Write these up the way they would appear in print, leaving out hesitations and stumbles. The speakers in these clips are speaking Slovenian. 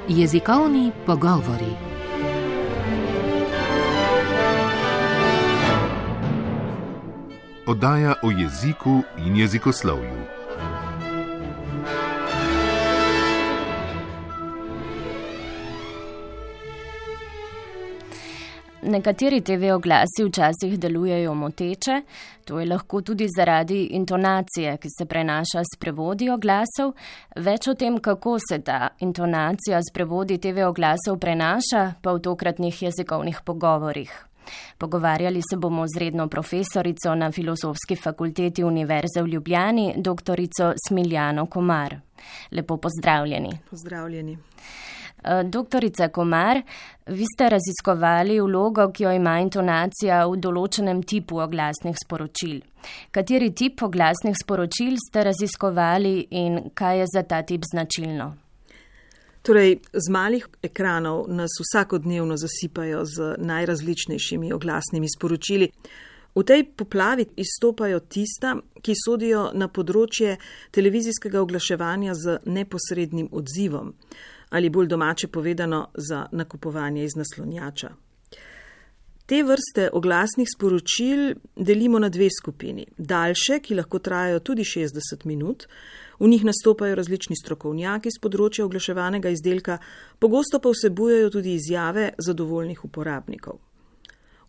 Jezikovni pogovori. Oddaja o jeziku in jezikoslovju. Nekateri TV oglasi včasih delujejo moteče, to je lahko tudi zaradi intonacije, ki se prenaša s prevodi oglasov. Več o tem, kako se ta intonacija s prevodi TV oglasov prenaša, pa v tokratnih jezikovnih pogovorih. Pogovarjali se bomo z redno profesorico na Filozofski fakulteti Univerze v Ljubljani, doktorico Smiljano Komar. Lepo pozdravljeni. Pozdravljeni. Doktorica Komar, vi ste raziskovali vlogo, ki jo ima intonacija v določenem tipu oglasnih sporočil. Kateri tip oglasnih sporočil ste raziskovali in kaj je za ta tip značilno? Torej, z malih ekranov nas vsakodnevno zasipajo z najrazličnejšimi oglasnimi sporočili. V tej poplavi izstopajo tista, ki sodijo na področje televizijskega oglaševanja z neposrednim odzivom, ali bolj domače povedano za nakupovanje iz naslonjača. Te vrste oglasnih sporočil delimo na dve skupini. Daljše, ki lahko trajajo tudi 60 minut, v njih nastopajo različni strokovnjaki z področja oglaševanega izdelka, pogosto pa vsebujejo tudi izjave zadovoljnih uporabnikov.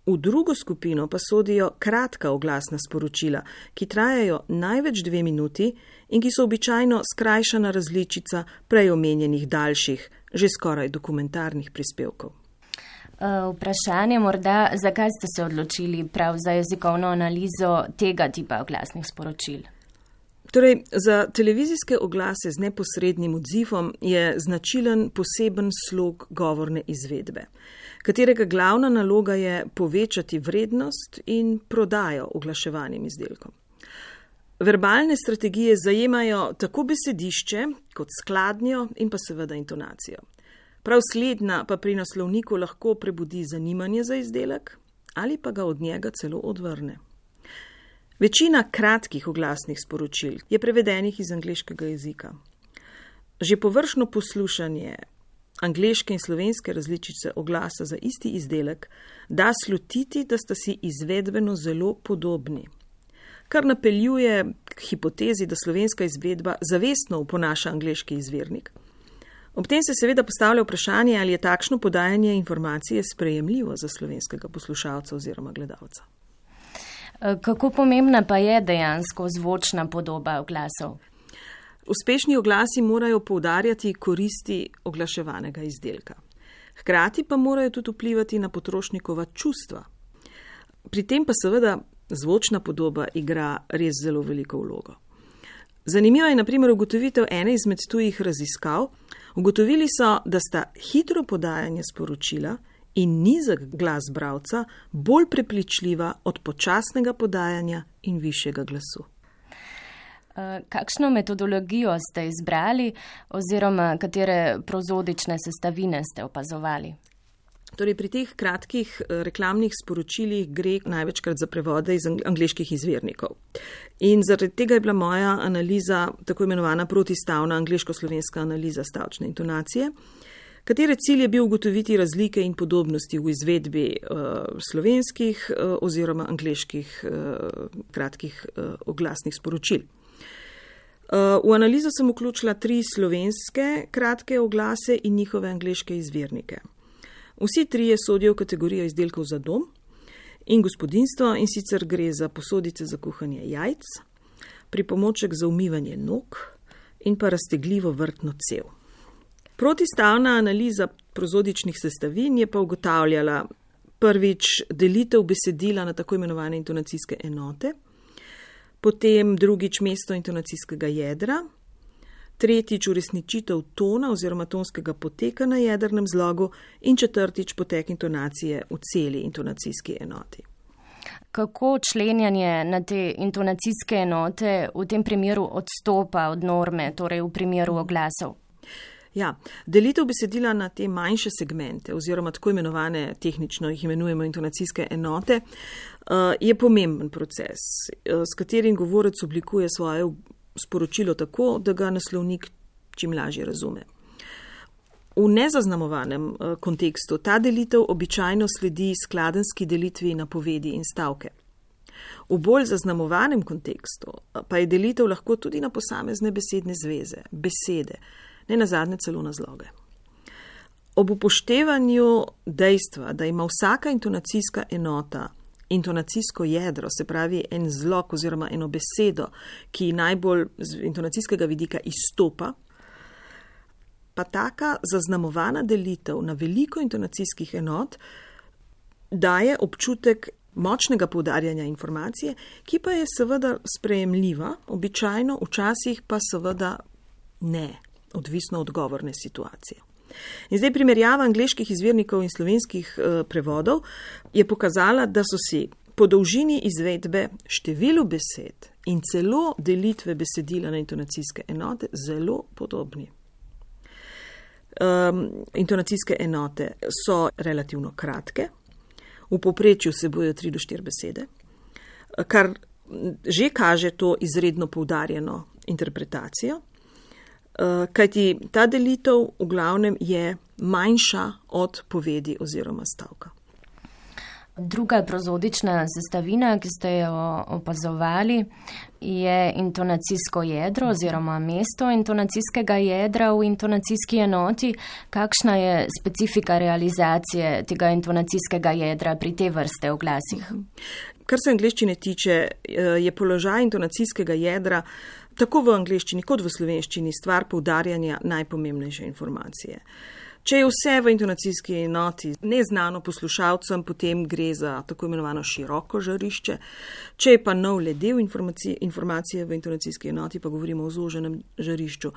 V drugo skupino pa sodijo kratka oglasna sporočila, ki trajajo največ 2 minuti in ki so običajno skrajšana različica prej omenjenih daljših, že skoraj dokumentarnih prispevkov. Vprašanje morda, zakaj ste se odločili prav za jezikovno analizo tega tipa oglasnih sporočil? Torej, za televizijske oglase z neposrednim odzivom je značilen poseben slog govorne izvedbe, katerega glavna naloga je povečati vrednost in prodajo oglaševanim izdelkom. Verbalne strategije zajemajo tako besedišče kot skladnjo in pa seveda intonacijo. Prav slednja pa pri naslovniku lahko prebudi zanimanje za izdelek ali pa ga od njega celo odvrne. Večina kratkih oglasnih sporočil je prevedenih iz angleškega jezika. Že površno poslušanje angleške in slovenske različice oglasa za isti izdelek da slutiti, da sta si izvedbeno zelo podobni, kar napeljuje k hipotezi, da slovenska izvedba zavestno oponaša angleški izvirnik. Ob tem se seveda postavlja vprašanje, ali je takšno podajanje informacije sprejemljivo za slovenskega poslušalca oziroma gledalca. Kako pomembna pa je dejansko zvočna podoba oglasov? Uspešni oglasi morajo poudarjati koristi oglaševanega izdelka. Hkrati pa morajo tudi vplivati na potrošnikova čustva. Pri tem pa seveda zvočna podoba igra res zelo veliko vlogo. Zanimiva je na primer ugotovitev ene izmed tujih raziskav. Ugotovili so, da sta hitro podajanje sporočila in nizek glas bralca bolj prepričljiva od počasnega podajanja in višjega glasu. Kakšno metodologijo ste izbrali oziroma katere prozodične sestavine ste opazovali? Torej, pri teh kratkih reklamnih sporočilih gre največkrat za prevode iz angleških izvirnikov. In zaradi tega je bila moja analiza tako imenovana protistavna angleško-slovenska analiza stavčne intonacije, katere cilj je bil ugotoviti razlike in podobnosti v izvedbi slovenskih oziroma angleških kratkih oglasnih sporočil. V analizo sem vključila 3 slovenske kratke oglase in njihove angleške izvirnike. Vsi 3 sodijo v kategorijo izdelkov za dom in gospodinjstvo, in sicer gre za posodice za kuhanje jajc, pripomoček za umivanje nog in pa raztegljivo vrtno cev. Protistavna analiza prozodičnih sestavin je pa ugotavljala prvič delitev besedila na tako imenovane intonacijske enote, potem drugič mesto intonacijskega jedra, tretjič uresničitev tona oziroma tonskega poteka na jedrnem zlogu in četrtič potek intonacije v celi intonacijski enoti. Kako členjanje na te intonacijske enote v tem primeru odstopa od norme, torej v primeru oglasov? Ja, delitev besedila na te manjše segmente oziroma tako imenovane, tehnično jih imenujemo intonacijske enote, je pomemben proces, s katerim govorec oblikuje svoje sporočilo tako, da ga naslovnik čim lažje razume. V nezaznamovanem kontekstu ta delitev običajno sledi skladenski delitvi napovedi in stavke. V bolj zaznamovanem kontekstu pa je delitev lahko tudi na posamezne besedne zveze, besede, ne nazadnje celo na zloge. Ob upoštevanju dejstva, da ima vsaka intonacijska enota intonacijsko jedro, se pravi en zlog oziroma eno besedo, ki najbolj z intonacijskega vidika izstopa, pa taka zaznamovana delitev na veliko intonacijskih enot daje občutek močnega poudarjanja informacije, ki pa je seveda sprejemljiva, običajno, včasih pa seveda ne, odvisno od govorne situacije. In zdaj primerjava angleških izvirnikov in slovenskih prevodov je pokazala, da so si po dolžini izvedbe, številu besed in celo delitve besedila na intonacijske enote zelo podobni. Intonacijske enote so relativno kratke, v povprečju vsebujejo 3 do 4 besede, kar že kaže to izredno poudarjeno interpretacijo, kajti ta delitev v glavnem je manjša od povedi oziroma stavka. Druga prozodična sestavina, ki ste jo opazovali, je intonacijsko jedro oziroma mesto intonacijskega jedra v intonacijski enoti. Kakšna je specifika realizacije tega intonacijskega jedra pri te vrste oglasih? Kar se angleščine tiče, je položaj intonacijskega jedra tako v angleščini kot v slovenščini stvar poudarjanja najpomembnejše informacije. Če je vse v intonacijski enoti neznano poslušalcem, potem gre za tako imenovano široko žarišče. Če je pa nov le del informacije v intonacijski enoti, pa govorimo o zoženem žarišču.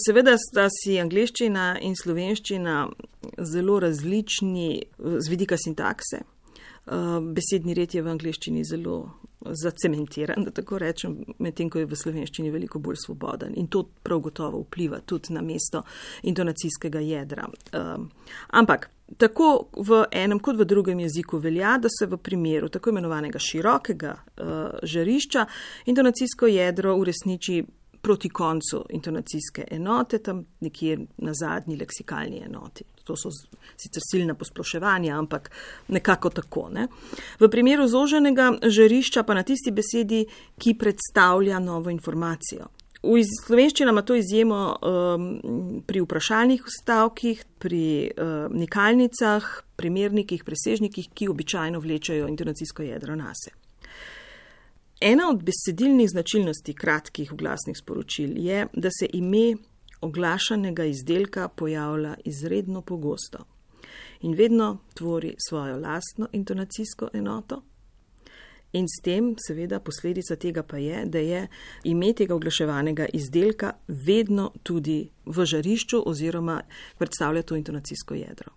Seveda sta si angleščina in slovenščina zelo različni z vidika sintakse. Besedni red je v angleščini zelo zacementiran, da tako rečem, medtem ko je v slovenščini veliko bolj svoboden. In to prav gotovo vpliva tudi na mesto intonacijskega jedra. Ampak tako v enem kot v drugem jeziku velja, da se v primeru tako imenovanega širokega žarišča intonacijsko jedro uresniči proti koncu intonacijske enote, tam nekje na zadnji leksikalni enoti. To so sicer silna posploševanja, ampak nekako tako. Ne? V primeru zoženega žarišča pa na tisti besedi, ki predstavlja novo informacijo. V slovenščini ima to izjemo pri vprašalnih stavkih, pri nikalnicah, primernikih, presežnikih, ki običajno vlečajo intonacijsko jedro nase. Ena od besedilnih značilnosti kratkih oglasnih sporočil je, da se ime oglašanega izdelka pojavlja izredno pogosto in vedno tvori svojo lastno intonacijsko enoto. In s tem, seveda, posledica tega pa je, da je ime tega oglaševanega izdelka vedno tudi v žarišču oziroma predstavlja to intonacijsko jedro.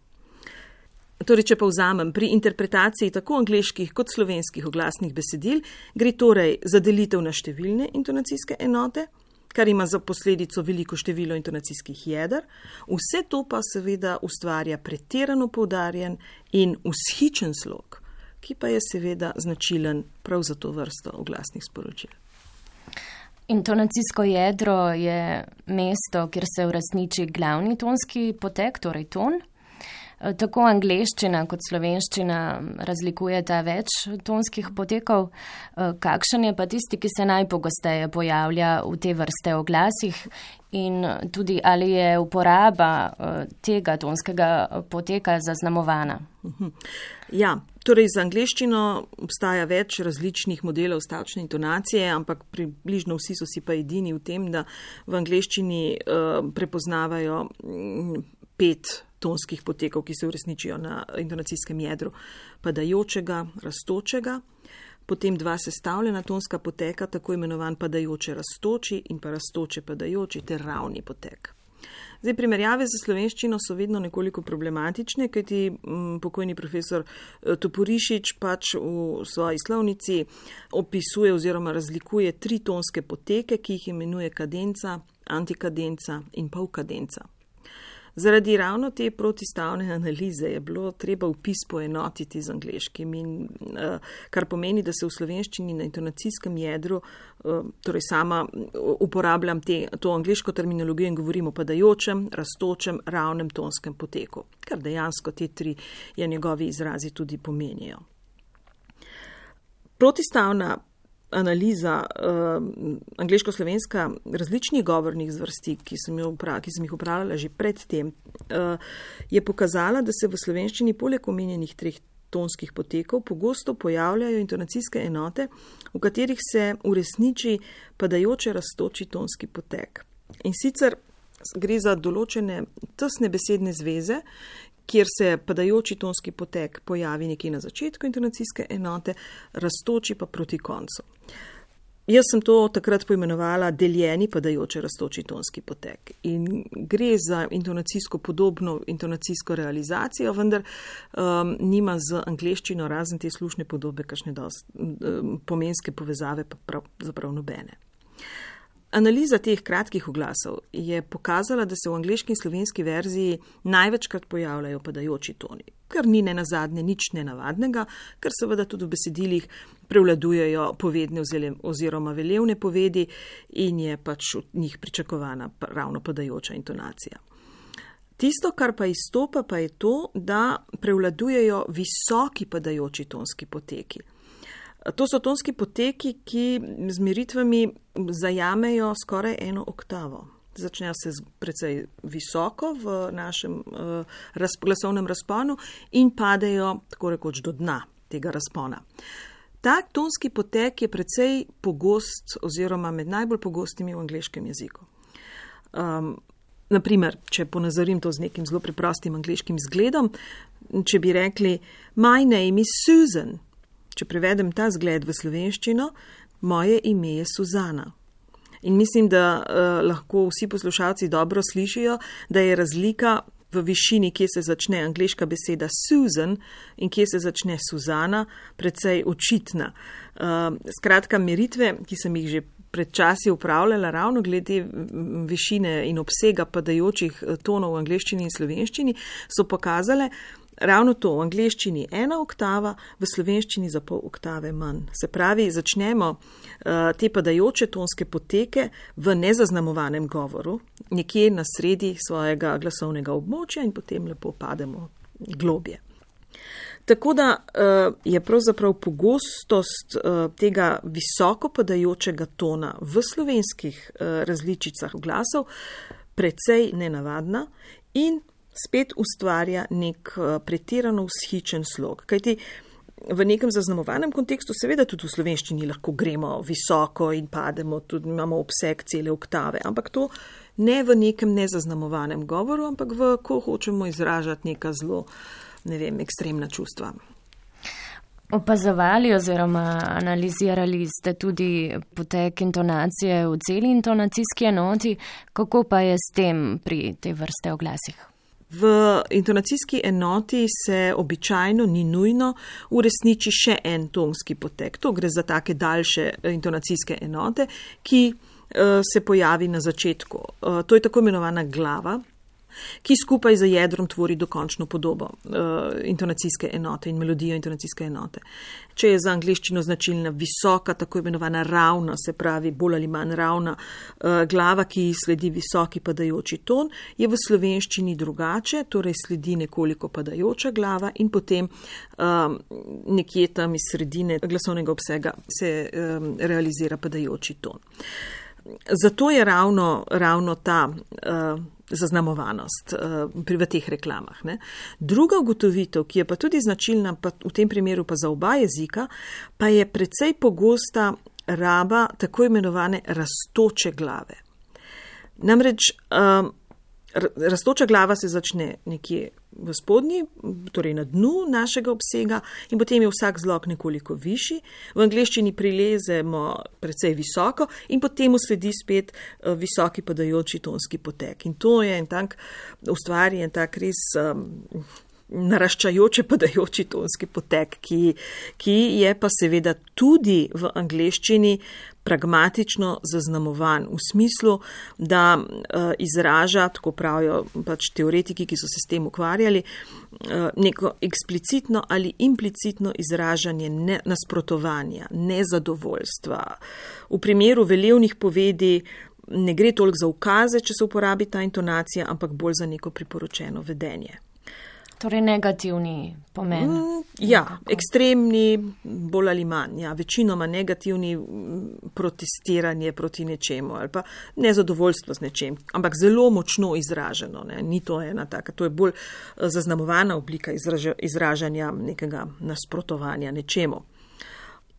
Torej, če pa vzamem, pri interpretaciji tako angleških kot slovenskih oglasnih besedil gre torej za delitev na številne intonacijske enote, kar ima za posledico veliko število intonacijskih jeder. Vse to pa seveda ustvarja pretirano poudarjen in vzhičen slog, ki pa je seveda značilen prav za to vrsto oglasnih sporočil. Intonacijsko jedro je mesto, kjer se uresniči glavni tonski potek, torej ton. Tako angleščina kot slovenščina razlikujeta več tonskih potekov. Kakšen je pa tisti, ki se najpogosteje pojavlja v te vrste oglasih in tudi ali je uporaba tega tonskega poteka zaznamovana? Ja, torej za angleščino obstaja več različnih modelov stavčne intonacije, ampak približno vsi so si pa edini v tem, da v angleščini prepoznavajo 5 tonskih potekov, ki se uresničijo na intonacijskem jedru, padajočega, rastočega, potem 2 sestavljena tonska poteka, tako imenovan padajoče rastoči in pa rastoče padajoči ter ravni potek. Zdaj, primerjave za slovenščino so vedno nekoliko problematične, kajti pokojni profesor Toporišič pač v svoji slovnici opisuje oziroma razlikuje 3 tonske poteke, ki jih imenuje kadenca, antikadenca in polkadenca. Zaradi ravno te protistavne analize je bilo treba vpis poenotiti z angleškim, in kar pomeni, da se v slovenščini na intonacijskem jedru, torej sama uporabljam to angleško terminologijo in govorim o padajočem, rastočem, ravnem tonskem poteku, kar dejansko te tri njegovi izrazi tudi pomenijo. Protistavna analiza angleško-slovenska različnih govornih zvrsti, ki sem jih upravljala že predtem, je pokazala, da se v slovenščini poleg omenjenih treh tonskih potekov pogosto pojavljajo intonacijske enote, v katerih se uresniči padajoče rastoči tonski potek. In sicer gre za določene tesne besedne zveze, kjer se padajoči tonski potek pojavi nekje na začetku intonacijske enote, rastoči pa proti koncu. Jaz sem to takrat poimenovala deljeni padajoče rastoči tonski potek. In gre za intonacijsko podobno intonacijsko realizacijo, vendar nima z angleščino razen te slušne podobe kakšne pomenske povezave pa pravzaprav nobene. Analiza teh kratkih oglasov je pokazala, da se v angleški in slovenski verziji največkrat pojavljajo padajoči toni, kar ni nenazadnje nič nenavadnega, ker seveda tudi v besedilih prevladujejo povedne oziroma velevne povedi in je pač od njih pričakovana ravno padajoča intonacija. Tisto, kar pa izstopa, pa je to, da prevladujejo visoki padajoči tonski poteki. To so tonski poteki, ki z meritvami zajamejo skoraj eno oktavo. Začnejo se precej visoko v našem glasovnem razponu in padejo tako rekoč do dna tega razpona. Tak tonski potek je precej pogost oziroma med najbolj pogostimi v angleškem jeziku. Naprimer, če ponazorim to z nekim zelo preprostim angleškim zgledom, če bi rekli My name is Susan. Če prevedem ta zgled v slovenščino, moje ime je Suzana. In mislim, da lahko vsi poslušalci dobro slišijo, da je razlika v višini, kje se začne angleška beseda Susan in kje se začne Suzana, precej očitna. Skratka, meritve, ki sem jih že pred časi upravljala ravno glede višine in obsega padajočih tonov v angleščini in slovenščini, so pokazale, ravno to, v angleščini 1 oktava, v slovenščini za pol oktave manj. Se pravi, začnemo te padajoče tonske poteke v nezaznamovanem govoru, nekje na sredi svojega glasovnega območja in potem lepo pademo globje. Tako da je pravzaprav pogostost tega visoko padajočega tona v slovenskih različicah glasov precej nenavadna in spet ustvarja nek pretirano vzhičen slog. Kajti v nekem zaznamovanem kontekstu seveda tudi v slovenščini lahko gremo visoko in pademo, tudi imamo obseg cele oktave, ampak to ne v nekem nezaznamovanem govoru, ampak ko hočemo izražati neka zelo, ekstremna čustva. Opazovali oziroma analizirali ste tudi potek intonacije v celi intonacijski enoti, kako pa je s tem pri tej vrste oglasih? V intonacijski enoti se običajno ni nujno uresniči še en tonski potek. To gre za take daljše intonacijske enote, ki se pojavi na začetku. To je tako imenovana glava, ki skupaj z jedrom tvori dokončno podobo intonacijske enote in melodijo intonacijske enote. Če je za angleščino značilna visoka, tako imenovana ravna, se pravi bolj ali manj ravna glava, ki sledi visoki padajoči ton, je v slovenščini drugače, torej sledi nekoliko padajoča glava in potem nekje tam iz sredine glasovnega obsega se realizira padajoči ton. Zato je ravno ta zaznamovanost v teh reklamah. Ne. Druga ugotovitev, ki je pa tudi značilna, pa v tem primeru pa za oba jezika, pa je precej pogosta raba tako imenovane rastoče glave. Namreč rastoča glava se začne nekje v spodnji, torej na dnu našega obsega in potem je vsak zlog nekoliko višji. V angleščini prilezemo precej visoko in potem sledi spet visoki padajoči tonski potek. In to je ustvari en tak res naraščajoče padajoči tonski potek, ki je pa seveda tudi v angleščini pragmatično zaznamovan v smislu, da izraža, tako pravijo pač teoretiki, ki so se s tem ukvarjali, neko eksplicitno ali implicitno izražanje nasprotovanja, nezadovoljstva. V primeru velevnih povedi ne gre toliko za ukaze, če se uporabi ta intonacija, ampak bolj za neko priporočeno vedenje. Torej negativni pomen. Ja, ekstremni, bolj ali manj. Ja, večinoma negativni, protestiranje proti nečemu ali pa nezadovoljstvo z nečem, ampak zelo močno izraženo. Ne. Ni to ena taka, to je bolj zaznamovana oblika izražanja nekega nasprotovanja nečemu.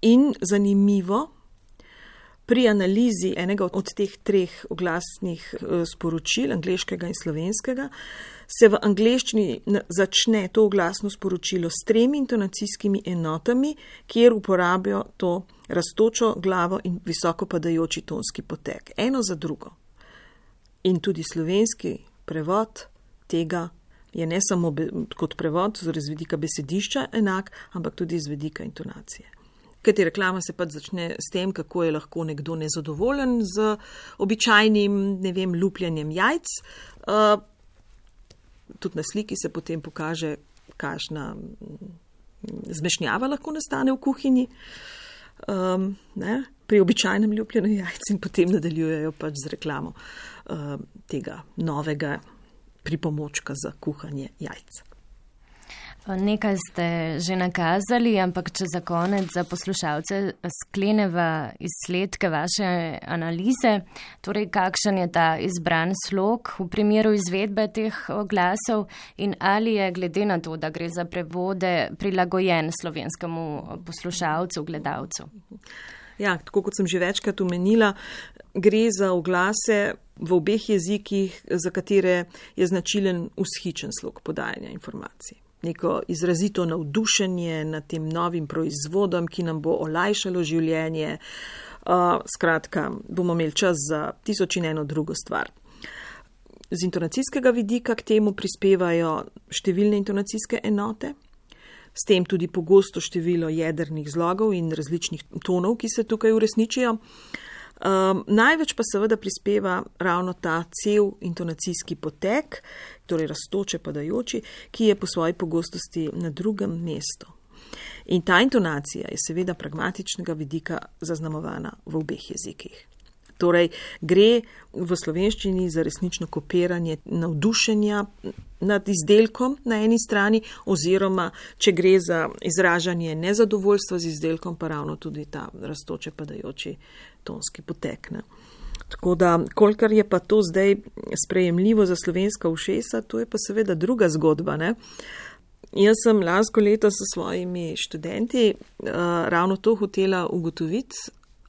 In zanimivo, pri analizi enega od teh treh oglasnih sporočil, angleškega in slovenskega, se v angleščini začne to oglasno sporočilo s 3 intonacijskimi enotami, kjer uporabijo to rastočo glavo in visoko padajoči tonski potek. Eno za drugo. In tudi slovenski prevod tega je ne samo kot prevod, torej z vidika besedišča enak, ampak tudi z vidika intonacije. Kajti reklama se pač začne s tem, kako je lahko nekdo nezadovoljen z običajnim, lupljenjem jajc. Tudi na sliki se potem pokaže, kakšna zmešnjava lahko nastane v kuhinji. Pri običajnem lupljenju jajc in potem nadaljujejo pač z reklamo tega novega pripomočka za kuhanje jajc. Nekaj ste že nakazali, ampak če za konec za poslušalce skleneva izsledke vaše analize, torej kakšen je ta izbran slog v primeru izvedbe teh oglasov in ali je glede na to, da gre za prevode, prilagojen slovenskemu poslušalcu, gledalcu? Ja, tako kot sem že večkrat omenila, gre za oglase v obeh jezikih, za katere je značilen vzhičen slog podajanja informacij. Neko izrazito navdušenje nad tem novim proizvodom, ki nam bo olajšalo življenje. Skratka, bomo imeli čas za 1001 drugo stvar. Z intonacijskega vidika k temu prispevajo številne intonacijske enote, s tem tudi pogosto število jedrnih zlogov in različnih tonov, ki se tukaj uresničijo. Največ pa seveda prispeva ravno ta cel intonacijski potek, torej rastoče padajoči, ki je po svoji pogostosti na drugem mestu. In ta intonacija je seveda pragmatičnega vidika zaznamovana v obeh jezikih. Torej gre v slovenščini za resnično kopiranje navdušenja nad izdelkom na eni strani, oziroma če gre za izražanje nezadovoljstva z izdelkom, pa ravno tudi ta rastoče padajoči tonski potek. Ne. Tako da, kolikor je pa to zdaj sprejemljivo za slovenska ušesa, to je pa seveda druga zgodba. Ne. Jaz sem lansko leto s svojimi študenti ravno to hotela ugotoviti,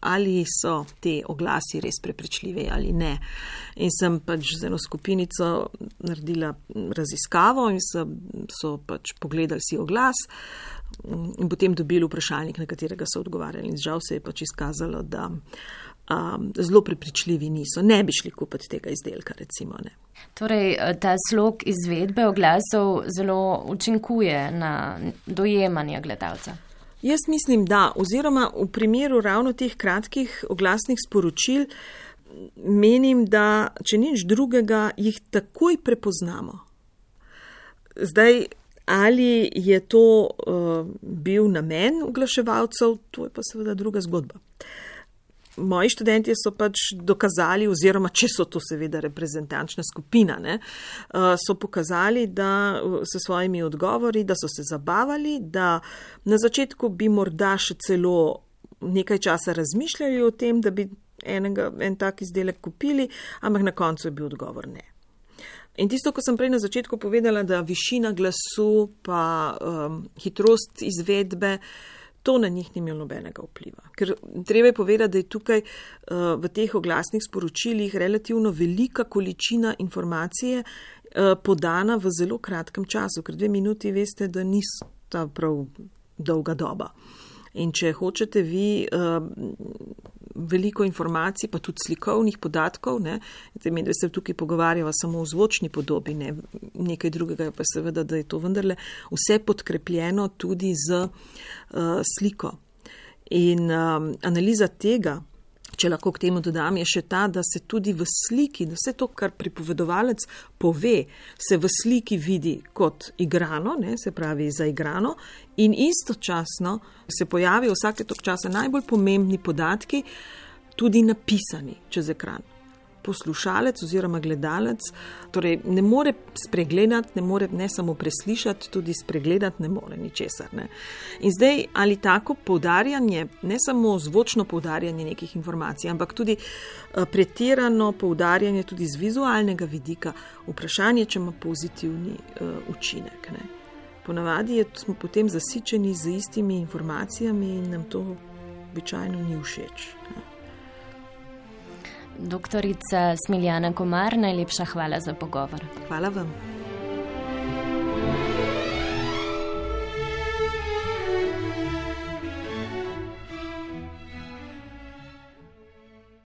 ali so te oglasi res prepričljivi ali ne. In sem pač z eno skupinico naredila raziskavo in so pač pogledali si oglas in potem dobili vprašalnik, na katerega so odgovarjali. In žal se je pač izkazalo, da zelo prepričljivi niso. Ne bi šli kupiti tega izdelka, recimo. Ne. Torej, ta slog izvedbe oglasov zelo učinkuje na dojemanje gledalca. Jaz mislim, da, oziroma v primeru ravno teh kratkih oglasnih sporočil menim, da če nič drugega, jih takoj prepoznamo. Zdaj, ali je to bil namen oglaševalcev, to je pa seveda druga zgodba. Moji študenti so pač dokazali, oziroma če so to seveda reprezentančna skupina, ne, so pokazali, da s svojimi odgovori, da so se zabavali, da na začetku bi morda še celo nekaj časa razmišljali o tem, da bi en tak izdelek kupili, ampak na koncu je bil odgovor ne. In tisto, ko sem prej na začetku povedala, da višina glasu pa hitrost izvedbe, to na njih ni imelo nobenega vpliva. Ker treba je povedati, da je tukaj v teh oglasnih sporočilih relativno velika količina informacije podana v zelo kratkem času, ker 2 minuti veste, da nista prav dolga doba. In če hočete vi veliko informacij, pa tudi slikovnih podatkov, ne. Zdaj, da se tukaj pogovarjava samo o zvočni podobi, ne. Nekaj drugega je pa seveda, da je to vendarle vse podkrepljeno tudi z sliko. In analiza tega, če lahko k temu dodam, je še ta, da se tudi v sliki, da vse to, kar pripovedovalec pove, se v sliki vidi kot igrano, ne, se pravi zaigrano, in istočasno se pojavijo vsake toliko časa najbolj pomembni podatki, tudi napisani čez ekran. Poslušalec oziroma gledalec, torej ne more spregledati, ne more ne samo preslišati, tudi spregledati ne more ničesar. Ne. In zdaj, ali tako poudarjanje, ne samo zvočno poudarjanje nekih informacij, ampak tudi pretirano poudarjanje tudi z vizualnega vidika, vprašanje, če ima pozitivni učinek. Ne. Ponavadi smo potem zasičeni z istimi informacijami in nam to običajno ni všeč. Ne. Doktorica Smiljana Komar, najlepša hvala za pogovor. Hvala vam.